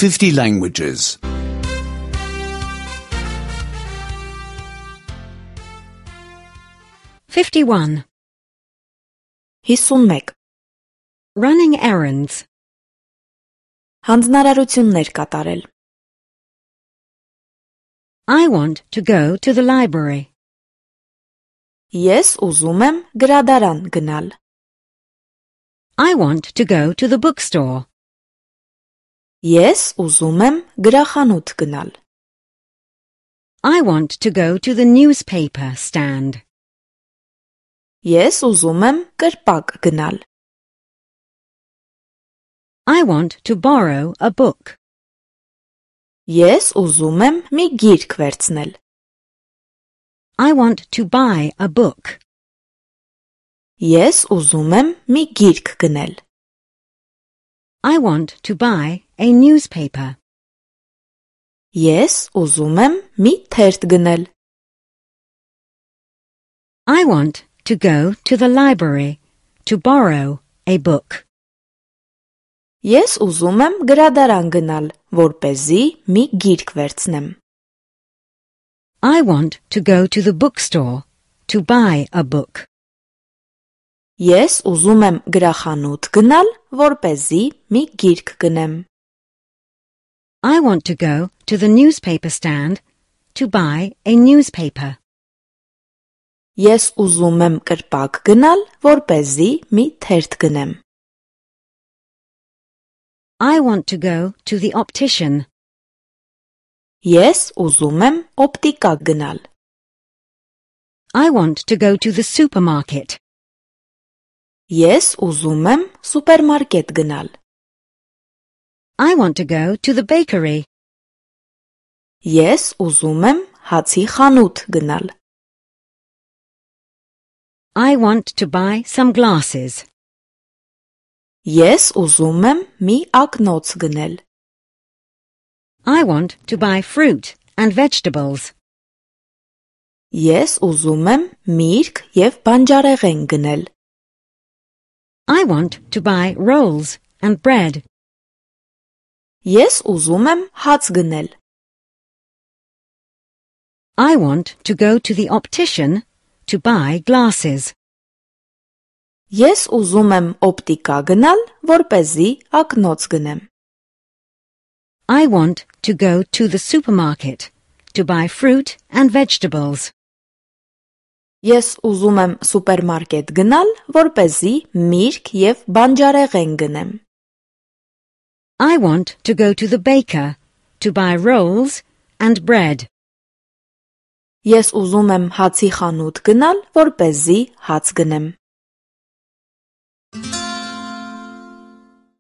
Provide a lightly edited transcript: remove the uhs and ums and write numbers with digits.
50 languages. 51. 51. Running errands. Հանձնարարություններ կատարել. I want to go to the library. Ես ուզում եմ գրադարան գնալ. I want to go to the bookstore. Ես ուզում եմ գրախանութ գնալ. I want to go to the newspaper stand. Ես ուզում եմ կրպակ գնալ. I want to borrow a book. Ես ուզում եմ մի գիրք վերցնել. I want to buy a book. Ես ուզում եմ մի գիրք գնել. I want to buy a newspaper. Ես ուզում եմ մի թերթ գնել. I want to go to the library to borrow a book. Ես ուզում եմ գրադարան գնալ, որպեսզի մի գիրք վերցնեմ. I want to go to the bookstore to buy a book. Ես ուզում եմ գրախանութ գնալ, որպեսզի մի գիրք գնեմ. I want to go to the newspaper stand to buy a newspaper. Ես ուզում եմ կրպակ գնալ, որպեսզի մի թերթ գնեմ. I want to go to the optician. Ես ուզում եմ օպտիկա գնալ. I want to go to the supermarket. Ես ուզում եմ սուպերմարկետ գնալ. I want to go to the bakery. Ես ուզում եմ հացի խանութ գնալ. I want to buy some glasses. Ես ուզում եմ մի ակնոց գնել. I want to buy fruit and vegetables. Ես ուզում եմ միրգ և բանջարեղեն գնել. I want to buy rolls and bread. Ես ուզում եմ հաց գնել. I want to go to the optician to buy glasses. Ես ուզում եմ օպտիկա գնալ, որպեսզի ակնոց գնեմ. I want to go to the supermarket to buy fruit and vegetables. Ես ուզում եմ սուպերմարկետ գնալ, որպեսզի միրգ և բանջարեղեն գնեմ. I want to go to the baker to buy rolls and bread. Ես ուզում եմ հացի խանութ գնալ, որպեսզի հաց գնեմ.